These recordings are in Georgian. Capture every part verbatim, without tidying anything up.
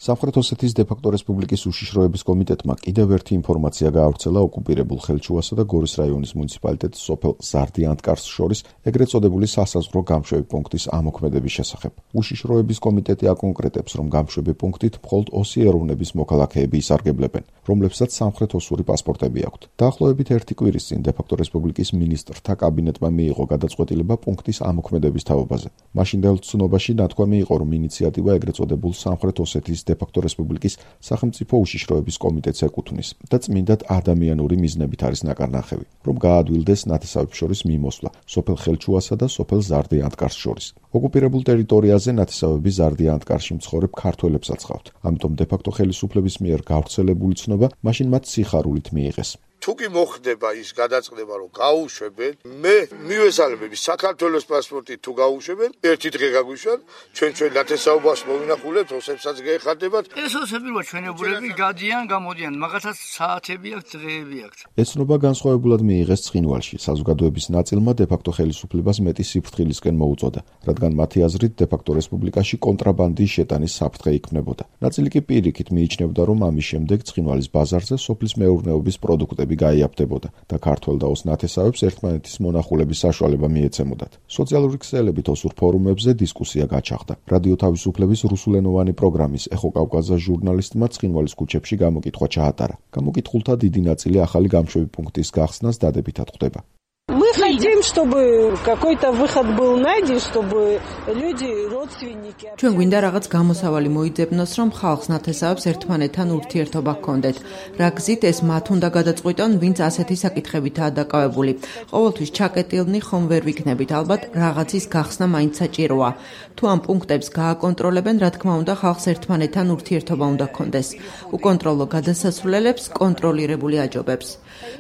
სამხრეთ ოსეთის დე-ფაქტო რესპუბლიკის უშიშროების კომიტეტმა კიდევ ერთი ინფორმაცია გაავრცელა ოკუპირებულ ხელჩუასა და გორის რაიონის მუნიციპალიტეტის სოფელ ზარდიანტკარს შორის ეგრეთ წოდებული სასაზღვრო გამშვები პუნქტის ამოქმედების შესახებ. უშიშროების კომიტეტი აკონკრეტებს, რომ გამშვები პუნქტით მხოლოდ ოსი ეროვნების მოქალაქეები ისარგებლებენ, რომლებსაც სამხრეთ ოსური პასპორტები აქვთ. დაახლოებით ერთი კვირის წინ დე-ფაქტო რესპუბლიკის მინისტრთა კაბინეტმა მიიღო გადაწყვეტილება პუნქტის ამოქმედების თაობაზე. მაშინდელ ცნობაში ნათქვამი იყო, რომ ინიციატივა ეგრეთ წოდებულ სამხრეთ ოსეთის დე-ფაქტო რესპუბლიკის სახელმწიფო უშიშროების კომიტეტს ეკუთვნის და წმინდად ადამიანური მიზნებით არის ნაკარნახევი, რომ გაადვილდეს ნათესავებს შორის მიმოსვლა სოფელ ხელჩუასა და სოფელ ზარდიანტკარს შორის. ოკუპირებულ ტერიტორიაზე ნათესავები ზარდიანტკარში მცხოვრებ ქართველებსაც ჰყავთ, ამიტომ დე-ფაქტო ხელისუფლების მიერ გავრცელებული ცნობა მაშინ მათ სიხარულით მიიღეს. თუ კი მოხდება ის გადაწყდება, რომ გაუშვებენ, მე მივესალმები საქართველოს პასპორტით თუ გაუშვებენ, ერთი დღე გაგვიშვან, ჩვენ ჩვენ ნათესაობას მოვინახულებთ, ოსებსაც გეხარდებათ. ეს ოსები რო ჩვენებულები გადიან, გამოდიან, მაგათაც საათები აქვს, დღეები აქვს. ეს ცნობა განსხვავებულად მიიღეს ცხინვალში. საზოგადოების ნაწილმა დე-ფაქტო ხელისუფლებას მეტი სიფრთხილისკენ მოუწოდა, რადგან მათი აზრით დე-ფაქტო რესპუბლიკაში კონტრაბანდის შეტანის საფრთხე იქმნებოდა. ნაწილი კი პირიქით მიიჩნევდა, რომ ამის შემდეგ ცხინვალის ბაზარზე სოფლის მეურნეობის პროდუქტები გაიაფდებოდა და ქართველ და ოს ნათესავებს ერთმანეთის მონახულების საშუალება მიეცემოდათ. სოციალური ქსელებით ოსურ ფორუმებზე დისკუსია გაჩაღდა. რადიო თავისუფლების რუსულენოვანი პროგრამის ეხო კავკაზა ჟურნალისტმა ცხინვალის ქუჩებში გამოკითხვა ჩაატარა. გამოკითხულთა დიდი ნაწილი ახალი გამშვები პუნქტის გახსნას დადებითად ხვდება. Мы хотим, чтобы какой-то выход был найден, чтобы люди, родственники. ჩვენ გვინდა რაღაც გამოსავალი მოიძებნოს, რომ ხალხს ნათესავებს ერთმანეთთან ურთიერთობა ჰქონდეთ. რა გზით ეს მათ უნდა გადაწყვიტონ, ვინც ასეთი საკითხებითაა დაკავებული. ყოველთვის ჩაკეტილნი ხომ ვერ ვიქნებით, ალბათ რაღაცის გახსნა მაინც საჭიროა. თუ ამ პუნქტებს გააკონტროლებენ, რა თქმა უნდა, ხალხს ერთმანეთთან ურთიერთობა უნდა ჰქონდეს. უკონტროლო გადასასვლელებს კონტროლირებული აჯობებს.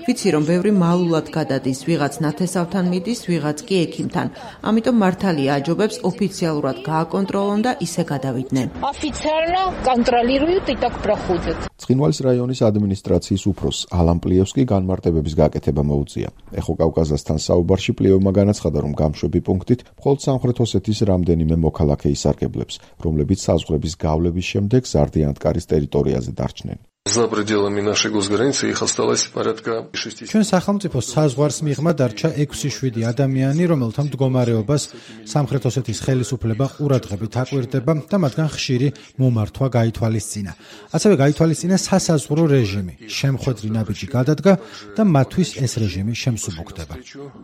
ვიცი, რომ ბევრი მალულად გადადის, ვიღაც ნათესავთან მიდის, ვიღაც კი ექიმთან. ამიტომ მართალია აჯობებს ოფიციალურად გააკონტროლონ და ისე გადავიდნენ. Официально контролируют и так проходят. ცხინვალის რაიონის ადმინისტრაციის უფროსს ალან პლიევსკი განმარტებების გაკეთება მოუწია. ეხო კავკაზასთან საუბარში პლიევმა განაცხადა, რომ გამშვები პუნქტით მხოლოდ სამხრეთ ოსეთის რამდენიმე მოქალაქე ისარგებლებს, რომლებიც საზღვრების გავლების შემდეგ ზარდიანტკარის ტერიტორიაზე დარჩნენ. За пределами нашей госграницы их осталось порядка шести. ჩვენ სახელმწიფოს საზღვარს მიღმა დარჩა ექვსი შვიდი ადამიანი, რომელთა მდგომარეობას სამხრეთ ოსეთის ხელისუფლება ყურადღებით აკვირდება და მათგან ხშირი მომართვა გაითვალისწინა. ასევე გაითვალისწინა სასაზღვრო რეჟიმი. შემხვედრი ნაბიჯი გადადგა და მათთვის ეს რეჟიმი შემსუბუქდება.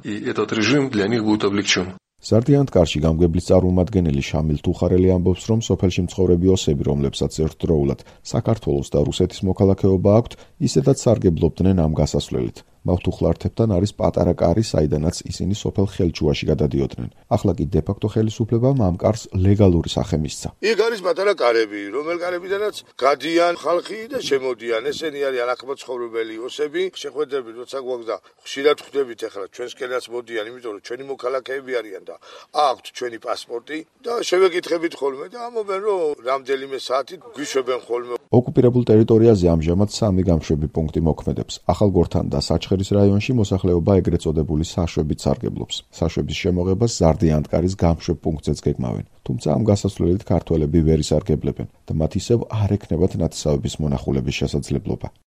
И этот режим для них будет облегчен. ზარდიანტკარში გამგებლის წარმომადგენელი შამილ თუხარელი ამბობს, რომ სოფელში მცხოვრები ოსები, რომლებსაც ერთდროულად საქართველოს და რუსეთის მოქალაქეობა აქვთ, ისედაც სარგებლობდნენ ამ გასასვლელით. მავთუხლართებთან არის პატარა კარი, საიდანაც ისინი სოფელ ხელჩუაში გადადიოდნენ. ახლა კი დე-ფაქტო ხელისუფლებამ ამ კარს ლეგალური სახე მისცა. იქ არის პატარა კარები, რომელ კარებიდანაც გადიან ხალხი და შემოდიან. ესენი არიან აქმოცხოვრებელი ოსები. შეხვედრები როცა გვაქვს და ხშირად ხვდებით ახლა ჩვენსკენაც მოდიან, იმიტომ რომ ჩვენი მოქალაქეები არიან და აქვთ ჩვენი პასპორტი და შევეკითხებით ხოლმე და ამობენ, რომ რამდენიმე საათით გვიშვებენ ხოლმე. ოკუპირებულ ტერიტორიაზე ამჟამად სამი გამშვები პუნქტი მოქმედებს. ახალგორთან და საჩხერის რაიონში მოსახლეობა ეგრეთ წოდებული საშვებით სარგებლობს. საშვების შემოღებას ზარდიანტკარის გამშვებ პუნქტზეც გეგმავენ. თუმცა ამ გასასვლელით ქართველები ვერ ისარგებლებენ და მათ ისევ არ ექნებათ ნათესავების მონახულების შესაძლებლობა.